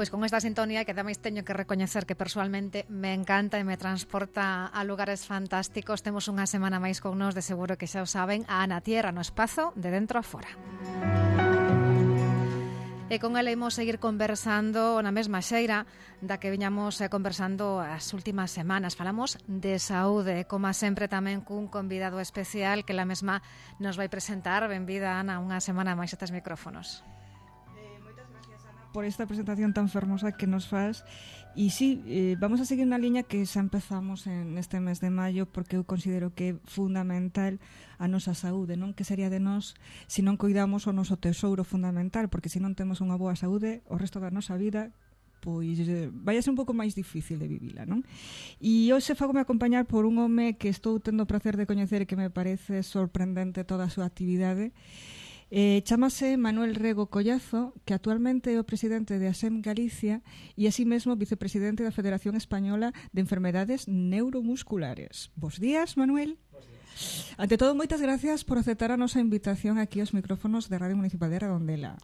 Pois con esta sintonía que ademais teño que recoñecer que persoalmente me encanta e me transporta a lugares fantásticos. Temos unha semana máis con nós, de seguro que xa o saben, a Ana Tierra no espazo de dentro a fora. E con ela imos seguir conversando na mesma xeira da que viñamos conversando as últimas semanas. Falamos de saúde, como sempre tamén cun convidado especial que la mesma nos vai presentar. Benvida, Ana, unha semana máis a estes micrófonos. Por esta presentación tan fermosa que nos faz. E sí, vamos a seguir na liña que xa empezamos neste mes de maio, porque eu considero que é fundamental a nosa saúde, non? Que sería de nós se non cuidamos o noso tesouro fundamental, porque se non temos unha boa saúde, o resto da nosa vida pois vai a ser un pouco máis difícil de vivila, non? E hoxe fagome acompañar por un home que estou tendo o placer de coñecer e que me parece sorprendente toda a súa actividade. Chámase Manuel Rego Collazo, que actualmente é o presidente de ASEM Galicia e así mesmo vicepresidente da Federación Española de Enfermedades Neuromusculares. Bos días, Manuel. Bos días. Ante todo, moitas gracias por aceptar a nosa invitación aquí aos micrófonos de Radio Municipal de Redondela.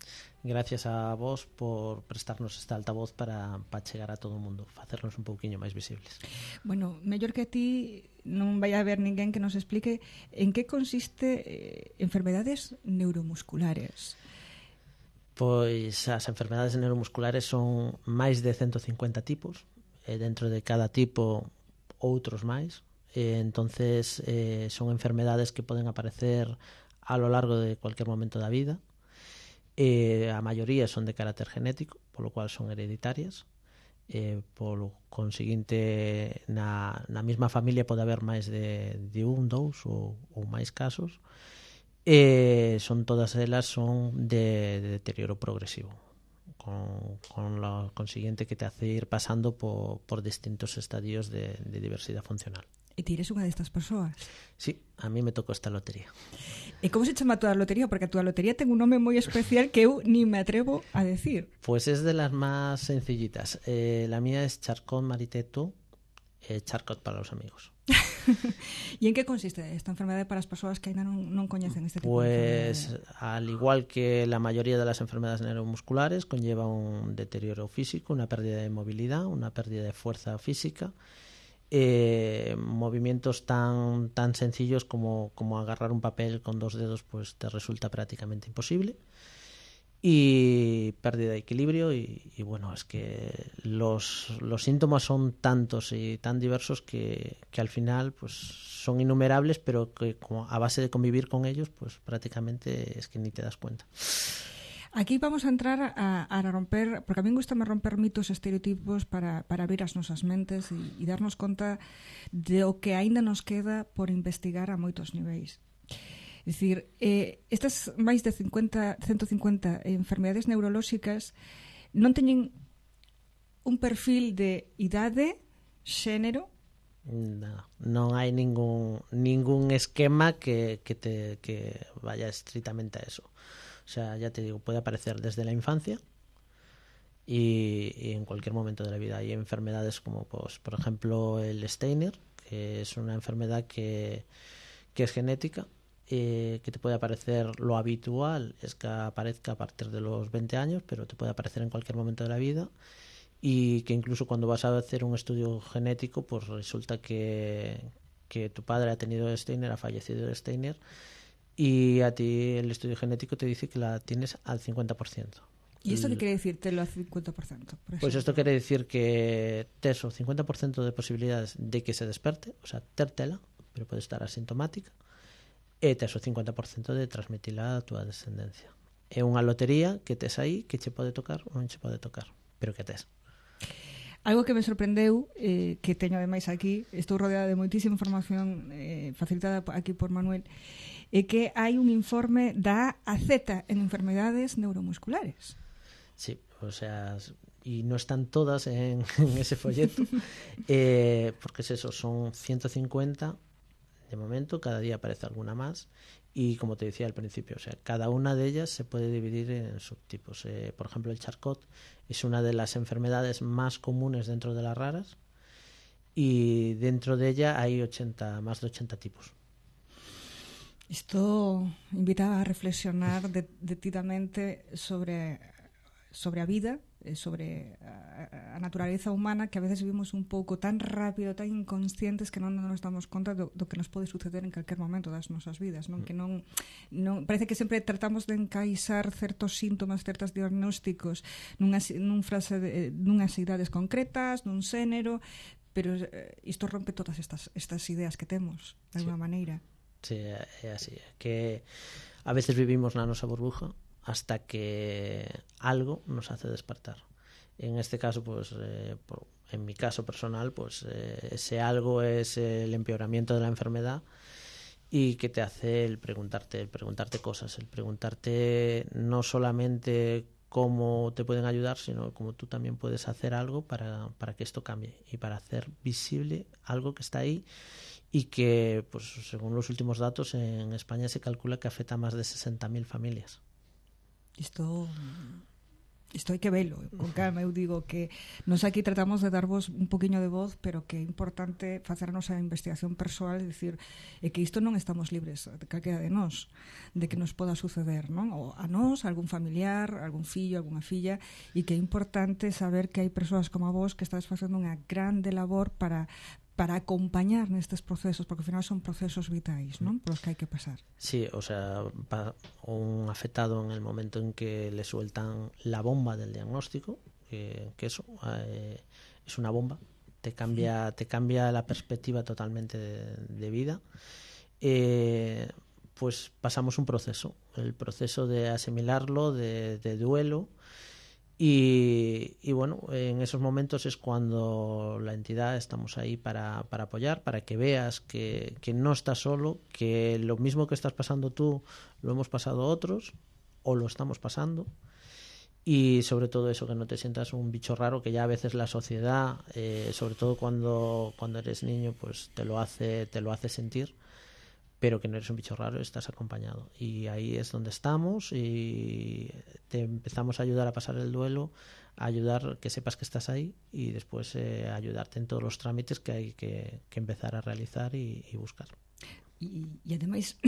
Gracias a vos por prestarnos esta altavoz para chegar a todo o mundo, facernos un pouquiño máis visibles. Bueno, mellor que a ti non vai a haber ninguén que nos explique en que consiste enfermedades neuromusculares. Pois as enfermedades neuromusculares son máis de 150 tipos, e dentro de cada tipo outros máis. Entonces son enfermedades que poden aparecer a lo largo de cualquier momento da vida. A maioría son de carácter genético, polo cual son hereditarias. Polo conseguinte na mesma familia pode haber máis de un, dous ou máis casos. Son todas elas son de deterioro progresivo, con lo consiguiente que te hace ir pasando por distintos estadios de diversidade funcional. E ti eres unha destas persoas? Sí, a mí me tocou esta lotería. E como se chama a túa lotería? Porque a túa lotería ten un nome moi especial que eu ni me atrevo a decir. Pues es de las más sencillitas. La mía es Charcot Mariteto, Charcot para los amigos. E en que consiste esta enfermedade para as persoas que ainda non coñecen este tipo de enfermedade? Pues al igual que la mayoría de las enfermedades neuromusculares, conlleva un deterioro físico, una pérdida de movilidad, una pérdida de fuerza física, movimientos tan sencillos como agarrar un papel con dos dedos, pues te resulta prácticamente imposible, y pérdida de equilibrio y bueno, es que los síntomas son tantos y tan diversos que al final pues son innumerables, pero que a base de convivir con ellos pues prácticamente es que ni te das cuenta. Aquí vamos a entrar a romper, porque a mí gustame romper mitos e estereotipos para abrir as nosas mentes e darnos conta de o que aínda nos queda por investigar a moitos niveis. É dicir, estas máis de 150 enfermedades neurolóxicas non teñen un perfil de idade, xénero? Non hai ningún esquema que vaya estrictamente a eso. O sea, ya te digo, puede aparecer desde la infancia y en cualquier momento de la vida. Hay enfermedades como, pues, por ejemplo, el Steiner, que es una enfermedad que es genética, que te puede aparecer. Lo habitual es que aparezca a partir de los 20 años, pero te puede aparecer en cualquier momento de la vida, y que incluso cuando vas a hacer un estudio genético, pues resulta que tu padre ha tenido Steiner, ha fallecido de Steiner, y a ti el estudio genético te dice que la tienes al 50%. ¿Y esto qué quiere decírtelo al 50%? Pues esto quiere decir que tes o 50% de posibilidades de que se desperte, o sea, tértela, pero puede estar asintomática, e tes o 50% de transmitila a túa descendencia. É unha lotería que tes aí, que che pode tocar ou non che pode tocar, pero que tes. Algo que me sorprendeu, que teño ademais aquí, estou rodeada de moitísima información facilitada aquí por Manuel, é que hai un informe da AZ en enfermedades neuromusculares. Sí, o sea, y no están todas en ese folleto, porque es eso, son 150 de momento, cada día aparece alguna más, y como te decía al principio, o sea, cada una de ellas se puede dividir en subtipos. Por ejemplo, el Charcot es una de las enfermedades más comunes dentro de las raras, y dentro de ella hay más de 80 tipos. Isto invita a reflexionar detidamente sobre a vida sobre a naturaleza humana, que a veces vivimos un pouco tan rápido, tan inconscientes, que non nos damos conta do que nos pode suceder en calquer momento das nosas vidas, non? Que non parece que sempre tratamos de encaixar certos síntomas, certos diagnósticos nunhas idades concretas, nun xénero, pero isto rompe todas estas ideas que temos, de alguma maneira. Sí, é así, que a veces vivimos na nosa burbuja hasta que algo nos hace despertar. En este caso, pues, en mi caso personal, pues ese algo es el empeoramiento de la enfermedad y que te hace el preguntarte cosas, el preguntarte no solamente cómo te pueden ayudar, sino cómo tú también puedes hacer algo para que esto cambie y para hacer visible algo que está ahí y que, pues, según los últimos datos, en España se calcula que afecta a más de 60.000 familias. Isto hai que velo con calma. Eu digo que nos aquí tratamos de darvos un poquinho de voz, pero que é importante facernos a investigación persoal, é dicir, que isto non estamos libres de calquera de nós, de que nos poda suceder, non? Ou a nós, a algún familiar, a algún fillo, a algunha filla, e que é importante saber que hai persoas como a vos que estades facendo unha grande labor para acompañar nestes procesos, porque ao final son procesos vitais, non? Por os que hai que pasar. Sí, o sea, un afectado en el momento en que le sueltan la bomba del diagnóstico, que eso es una bomba, te cambia la perspectiva totalmente de vida, pues pasamos un proceso, el proceso de asimilarlo, de duelo. Y bueno, en esos momentos es cuando la entidad estamos ahí para apoyar, para que veas que no estás solo, que lo mismo que estás pasando tú lo hemos pasado otros o lo estamos pasando, y sobre todo eso, que no te sientas un bicho raro, que ya a veces la sociedad, sobre todo cuando eres niño, pues te lo hace sentir, pero que no eres un bicho raro, estás acompañado. Y ahí es donde estamos y te empezamos a ayudar a pasar el duelo, a ayudar que sepas que estás ahí y después ayudarte en todos los trámites que hay que empezar a realizar y buscar. E ademais,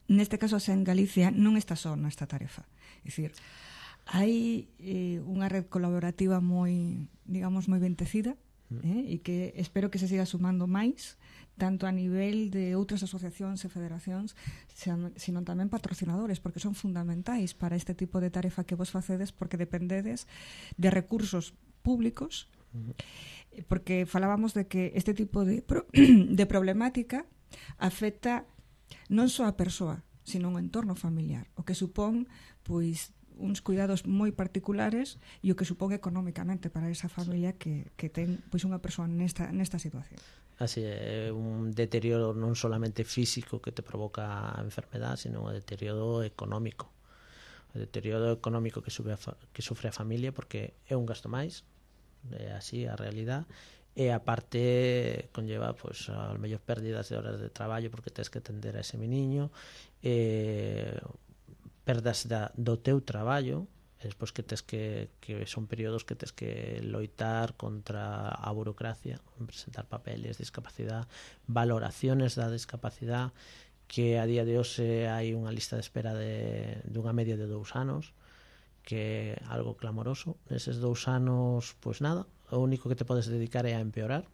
neste caso, en Galicia non está só nesta tarefa. É dicir, hai unha red colaborativa moi, digamos, moi ben tecida, e que espero que se siga sumando máis, tanto a nivel de outras asociacións e federacións, sino tamén patrocinadores, porque son fundamentais para este tipo de tarefa que vos facedes, porque dependedes de recursos públicos, porque falábamos de que este tipo de problemática afecta non só a persoa, sino un entorno familiar, o que supón, pois, uns cuidados moi particulares e o que supón económicamente para esa familia que ten, pois, unha persoa nesta situación. Así é, un deterioro non solamente físico que te provoca a enfermedad, sino un deterioro económico. O deterioro económico que sufre a familia, porque é un gasto máis, é así a realidad, e aparte conlleva, pues, a mellor pérdidas de horas de traballo porque tens que atender a ese meniño, perdas do teu traballo, e despois que tes que son períodos que tes que loitar contra a burocracia, presentar papeles, discapacidade, valoraciones da discapacidade, que a día de hoxe hai unha lista de espera dunha media de 2 anos, que é algo clamoroso. Neses 2 anos, pois nada, o único que te podes dedicar é a empeorar,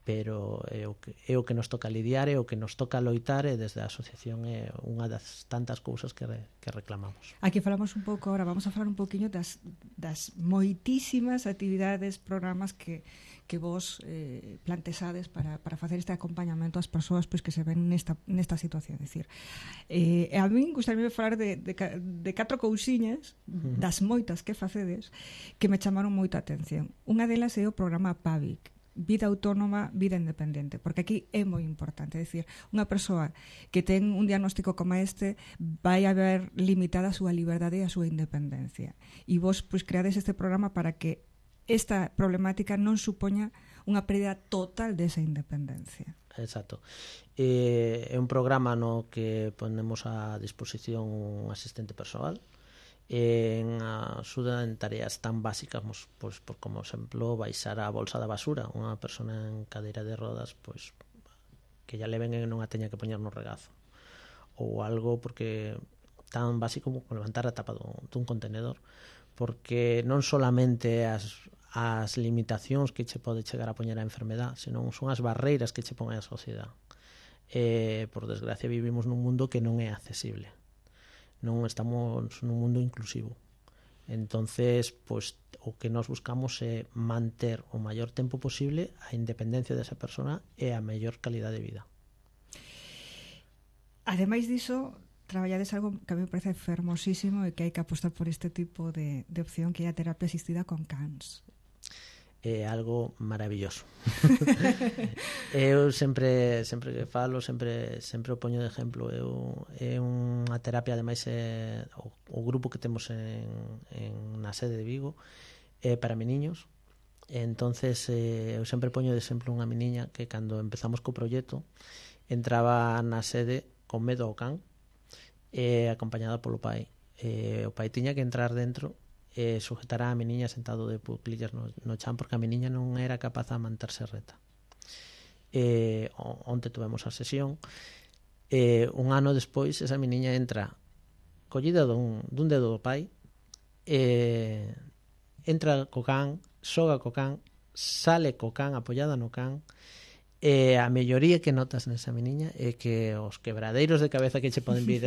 pero é o que nos toca lidiar, é o que nos toca loitar, e desde a asociación é unha das tantas cousas que reclamamos. Aquí falamos un pouco, ahora vamos a falar un pouquiño das moitísimas actividades, programas que vos plantexades para facer este acompañamento ás persoas, pois, que se ven nesta situación. É dicir, a min gustaría falar de 4 cousiñas das moitas que facedes que me chamaron moita atención. Unha delas é o programa PAVIC, vida autónoma, vida independente, porque aquí é moi importante, é dicir, unha persoa que ten un diagnóstico como este vai a ver limitada a súa liberdade e a súa independencia, e vos, pois, creades este programa para que esta problemática non supoña unha pérdida total desa independencia. Exacto. É un programa no que ponemos a disposición un asistente persoal en axuda en tareas tan básicas, pois, por como exemplo baixar a bolsa da basura, unha persona en cadeira de rodas, pois, que ya le ven e non a teña que poñer no regazo, ou algo porque tan básico como levantar a tapa dun contenedor, porque non solamente as limitacións que che pode chegar a poñer a enfermedad, senón son as barreiras que che pon a sociedade. Por desgracia vivimos nun mundo que non é accesible, non estamos nun mundo inclusivo. Entonces, pues, o que nós buscamos é manter o maior tempo posible a independencia desa persona e a mellor calidade de vida. Ademais diso, traballades algo que a mí me parece fermosísimo e que hai que apostar por este tipo de opción, que é a terapia asistida con cans. É algo maravilloso. Eu sempre que falo, sempre o poño de exemplo. É unha terapia, ademais, o grupo que temos na sede de Vigo é para meniños. Entonces, eu sempre poño de exemplo unha meniña que cando empezamos co proxecto entraba na sede con medo ao can, acompañada polo pai. O pai tiña que entrar dentro e sujetar a meniña sentado de puclillas no chan, porque a meniña non era capaz de manterse reta. Onte tuvemos a sesión, un ano despois esa meniña entra collida dun dedo do pai, entra co can, xoga co can, sale co can apoiada no can. A melloría que notas nesa meniña é que os quebradeiros de cabeza que che poden vir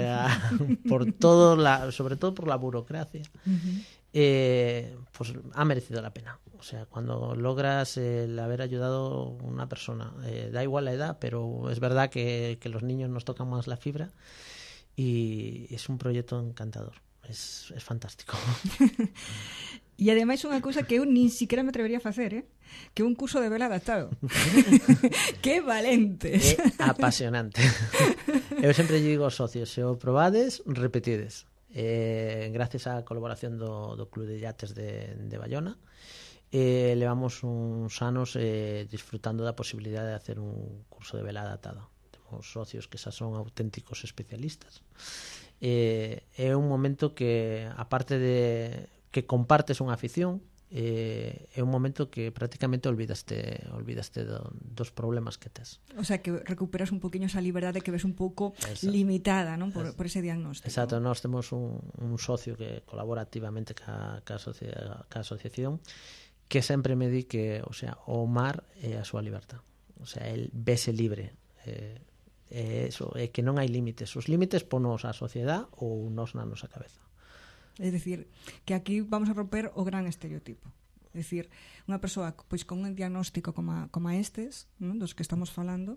por todo, sobre todo por la burocracia, pues ha merecido la pena. O sea, cuando logras el haber ayudado a una persona, da igual la edad, pero es verdad que los niños nos tocan más la fibra, y es un proyecto encantador. Es fantástico. E ademais unha cousa que eu nin siquiera me atrevería a facer, que é un curso de vela adaptado. Que valentes. É apasionante. Eu sempre digo aos socios, se o probades, repetides. Gracias á colaboración do Club de Yates de Bayona, levamos uns anos disfrutando da posibilidade de hacer un curso de vela adaptada. Temos socios que xa son auténticos especialistas. É un momento que, aparte de que compartes unha afición, é un momento que prácticamente olvidaste dos problemas que tes. O sea, que recuperas un poquinho esa liberdade que ves un pouco limitada, non, por ese diagnóstico. Exacto, nós temos un socio que colabora activamente ca asociación, que sempre me di que, o sea, o mar é a súa libertad. O sea, el vese libre. Eso, é que non hai límites. Os límites ponos a sociedade ou nós na nosa cabeza. É dicir, que aquí vamos a romper o gran estereotipo. É dicir, unha persoa pois con un diagnóstico como estes, non, dos que estamos falando,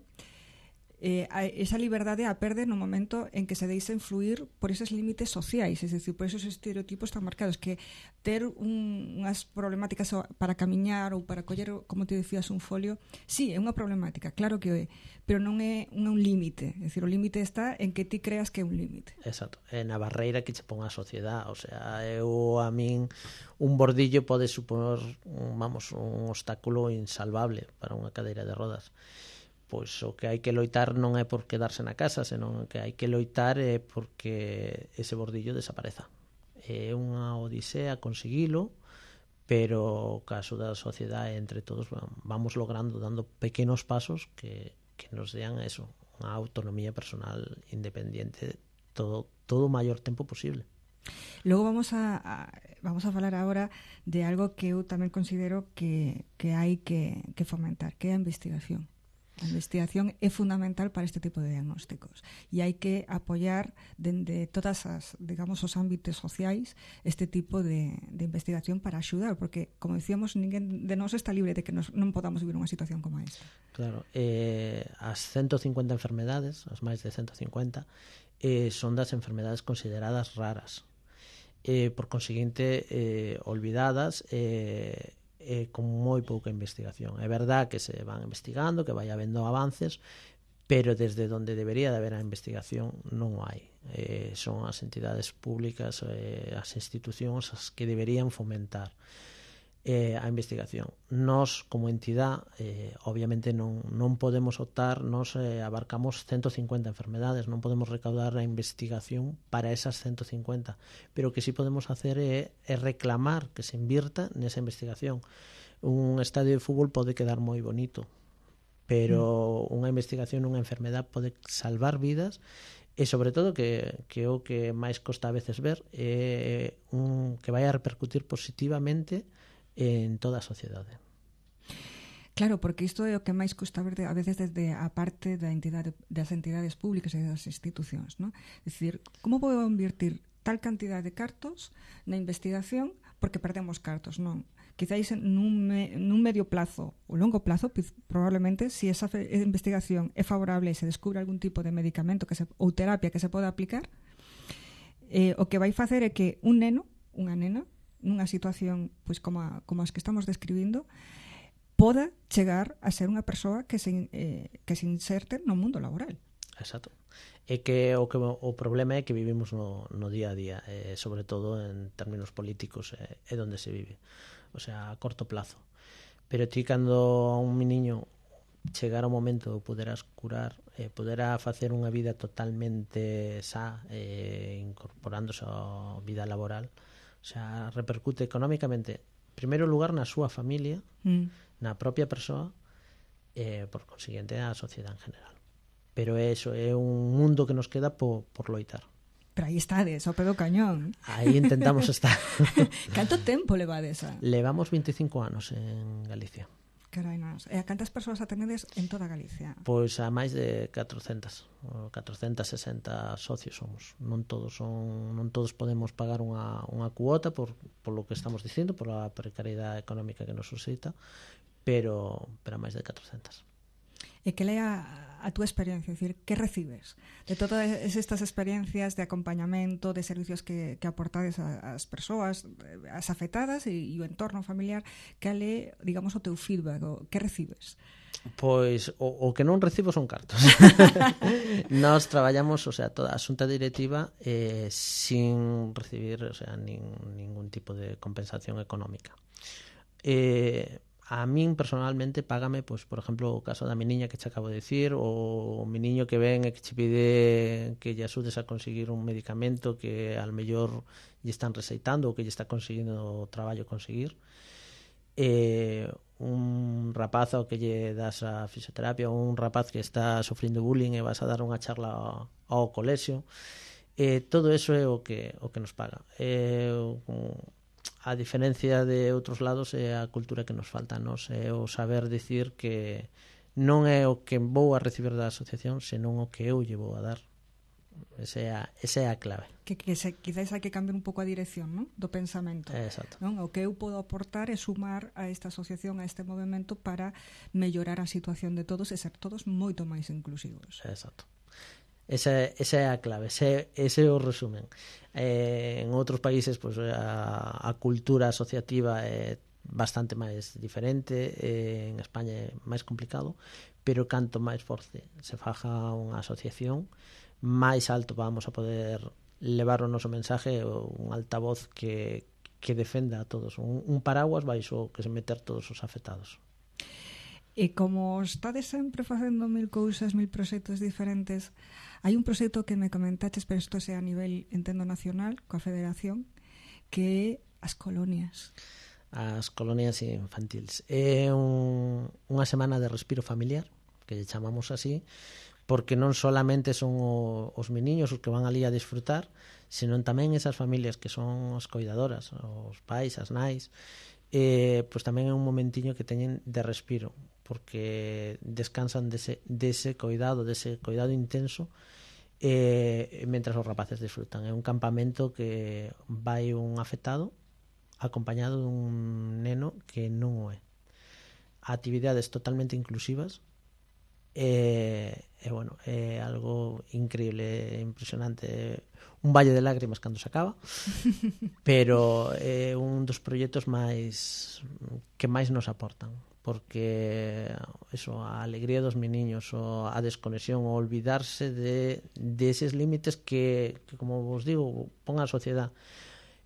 esa liberdade a perde no momento en que se deixa influir por eses límites sociais, é dicir, por esos estereotipos tan marcados, que ter unhas problemáticas para camiñar ou para coller, como te decías, un folio, sí, é unha problemática, claro que é, pero non é un límite, é dicir, o límite está en que ti creas que é un límite. Exacto, é na barreira que che pon a sociedade, o sea, a min un bordillo pode supor, un obstáculo insalvable para unha cadeira de rodas. Pois o que hai que loitar non é por quedarse na casa, senón que hai que loitar é porque ese bordillo desapareza. É unha odisea conseguilo, pero caso da sociedade, entre todos vamos logrando, dando pequenos pasos que nos dean eso, unha autonomía personal independiente todo o maior tempo posible. Logo vamos a falar agora de algo que eu tamén considero que hai que fomentar, que é a investigación. A investigación é fundamental para este tipo de diagnósticos e hai que apoiar dende todas as, digamos, os ámbitos sociais este tipo de investigación para axudar, porque, como decíamos, ninguén de nós está libre de que non podamos vivir unha situación como esta. Claro, as 150 enfermedades, as máis de 150, son das enfermedades consideradas raras, por conseguinte olvidadas, con moi pouca investigación. É verdad que se van investigando, que vai habendo avances, pero desde onde debería de haber a investigación non o hai. Son as entidades públicas, as institucións as que deberían fomentar a investigación. Nós, como entidade, obviamente non podemos optar, nós abarcamos 150 enfermedades, non podemos recaudar a investigación para esas 150, pero o que sí podemos hacer é reclamar que se invirta nesa investigación. Un estadio de fútbol pode quedar moi bonito, pero unha investigación nunha enfermedade pode salvar vidas E sobre todo que o que máis costa a veces ver é que vai a repercutir positivamente en toda a sociedade. Claro, porque isto é o que máis custa ver a veces desde a parte das entidades públicas e das institucións, non? É dicir, como vou invertir tal cantidad de cartos na investigación porque perdemos cartos, non? Quizáis nun medio plazo ou longo plazo, probablemente, se esa investigación é favorable e se descubre algún tipo de medicamento ou terapia que se poda aplicar, o que vai facer é que un neno, unha nena, nunha situación pois como as que estamos describindo, poda chegar a ser unha persoa que se inserte no mundo laboral. Exacto. É que o problema é que vivimos no día a día, sobre todo en términos políticos, é onde se vive, o sea, a corto plazo. Pero ti cando a un niño chegar ao momento de poderás curar, poderá facer unha vida totalmente sa, incorporándose á vida laboral, o sea, repercute económicamente, en primeiro lugar, na súa familia, na propia persoa, por consiguiente, na sociedade en general. Pero eso é un mundo que nos queda por loitar. Pero aí estades, ao pé do cañón. Aí intentamos estar. Canto tempo levades a? Levamos 25 anos en Galicia. Carai, nos. E a cantas persoas atendedes en toda Galicia? Pois a máis de 460 socios somos. Non todos podemos pagar unha cuota por lo que estamos dicindo, por a precariedade económica que nos suscita, pero a máis de 400. E que lea a túa experiencia, é dicir, que recibes de todas estas experiencias de acompañamento, de servicios que aportades ás persoas, as afectadas e o entorno familiar, que lea, digamos, o teu feedback, que recibes? Pois o que non recibo son cartos. Nós traballamos, o sea, toda a xunta directiva sin recibir, o sea, ningún tipo de compensación económica. A min personalmente págame, pois, por exemplo, o caso da mi niña que che acabo de dicir, ou o mi niño que ven e que che pide que lle axudes a conseguir un medicamento que al mellor lle están receitando ou que lle está conseguindo o traballo conseguir. Un rapaz ao que lle das a fisioterapia, ou un rapaz que está sofrindo bullying e vas a dar unha charla ao colexio. Todo eso é o que nos paga. A diferencia de outros lados é a cultura que nos falta, nos é o saber dicir que non é o que vou a recibir da asociación, senón o que eu lle vou a dar. Esa é a clave. Que quizás hai que cambiar un pouco a dirección, non? Do pensamento. Exacto. Non? O que eu podo aportar é sumar a esta asociación, a este movimento, para mellorar a situación de todos e ser todos moito máis inclusivos. Exacto. Esa é a clave, ese é o resumen. En outros países, pues, a cultura asociativa é bastante máis diferente, en España é máis complicado, pero canto máis forte se faja unha asociación, máis alto vamos a poder levar o noso mensaje, un altavoz que defenda a todos, un paraguas baixo que se meter todos os afectados. E como estades sempre facendo mil cousas, mil proxectos diferentes, hai un proxecto que me comentaches, pero isto é a nivel, entendo, nacional, coa Federación, que é as colonias. As colonias infantiles. É unha semana de respiro familiar, que lle chamamos así, porque non solamente son os meniños os que van ali a disfrutar, senón tamén esas familias que son as coidadoras, os pais, as nais, pois tamén é un momentiño que teñen de respiro, porque descansan dese cuidado intenso, mentras os rapaces disfrutan. É un campamento que vai un afectado acompañado dun neno que non o é. Actividades totalmente inclusivas, bueno, é algo increíble, impresionante, un valle de lágrimas cando se acaba, pero é un dos proxectos que máis nos aportan, porque eso, a alegría dos meniños, a desconexión, o olvidarse de eses límites que como vos digo, pon a sociedade.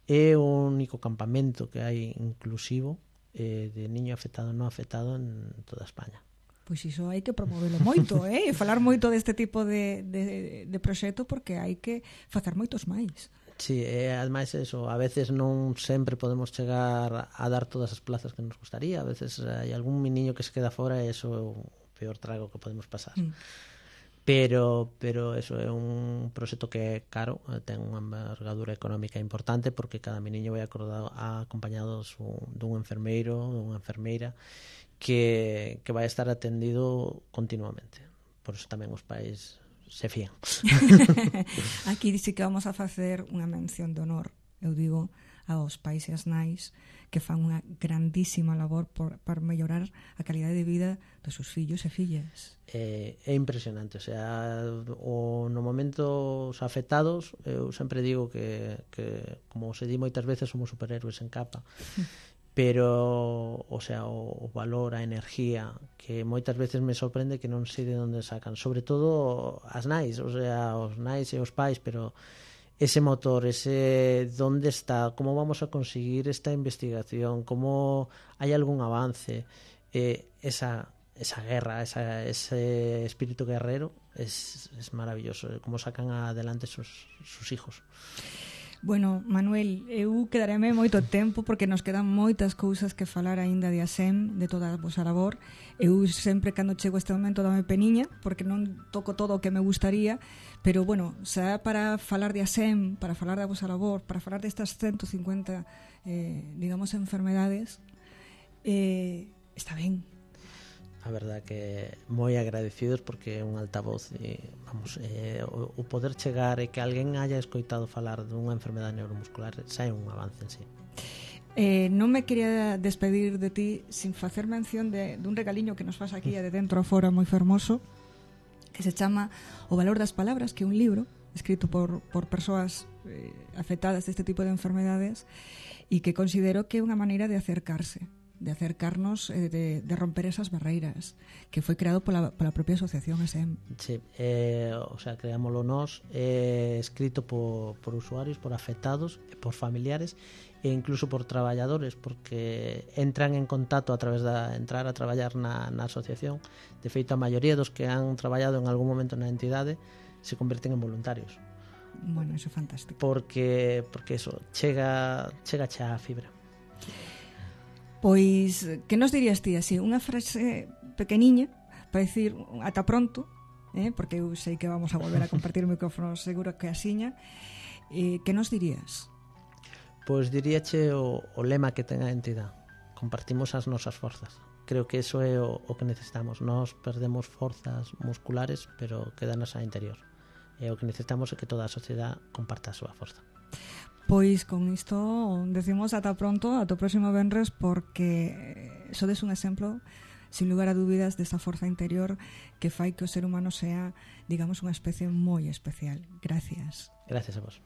É o único campamento que hai inclusivo de niño afectado non afectado en toda España. Pois iso hai que promovelo moito, e falar moito deste tipo de proxecto, porque hai que facer moitos máis. Sí, ademais eso, a veces non sempre podemos chegar a dar todas as plazas que nos gustaría, a veces hai algún meniño que se queda fora e iso é o peor trago que podemos pasar. pero eso é un proxecto que é caro, ten unha envergadura económica importante, porque cada meniño vai acompañado dun enfermeiro, dunha enfermeira que vai estar atendido continuamente. Por eso tamén os pais se fían. Aquí dice que vamos a facer unha mención de honor, eu digo, aos pais e as nais que fan unha grandísima labor para mellorar a calidade de vida dos seus fillos e fillas. É impresionante, o sea, no momento os afectados, eu sempre digo que como se di moitas veces, somos superhéroes en capa, pero, o sea, o valor, a energía, que moitas veces me sorprende que non sei de onde sacan, sobre todo as nais, o sea, os nais e os pais, pero ese motor, ese dónde está, cómo vamos a conseguir esta investigación, cómo hay algún avance, esa guerra, ese espíritu guerrero es maravilloso, cómo sacan adelante sus hijos. Bueno, Manuel, eu quedareme moito tempo porque nos quedan moitas cousas que falar aínda de ASEM, de toda a vosa labor. Eu sempre cando chego a este momento dame peniña porque non toco todo o que me gustaría, pero bueno, xa para falar de ASEM, para falar da vosa labor, para falar destas 150 digamos enfermedades, está ben. A verdad que moi agradecidos porque é un altavoz e vamos, o poder chegar e que alguén haya escoitado falar dunha enfermedade neuromuscular xa é un avance en sí. Non me quería despedir de ti sin facer mención dun regaliño que nos faz aquí de dentro a fora moi fermoso, que se chama O valor das palabras, que é un libro escrito por persoas afectadas deste tipo de enfermedades e que considero que é unha maneira de acercarnos, de romper esas barreiras, que foi creado pola propia asociación ASEM. Sí, o sea, creámoslo nós, escrito por usuarios, por afectados, por familiares e incluso por traballadores, porque entran en contacto a través de entrar a traballar na asociación. De feito, a maioría dos que han traballado en algún momento na entidade se converten en voluntarios. Bueno, eso é fantástico. Porque eso, chega a fibra. Pois, que nos dirías ti así? Unha frase pequeniña para dicir ata pronto, porque eu sei que vamos a volver a compartir o micrófono seguro que asiña. Que nos dirías? Pois diríache o lema que ten a entidade: compartimos as nosas forzas. Creo que eso é o que necesitamos. Nós perdemos forzas musculares, pero quedanos a interior. E o que necesitamos é que toda a sociedade comparta a súa forza. Pois con isto decimos ata pronto, ata o próximo venres, porque sodes un exemplo sin lugar a dúbidas desta forza interior que fai que o ser humano sea, digamos, unha especie moi especial. Gracias. Gracias a vos.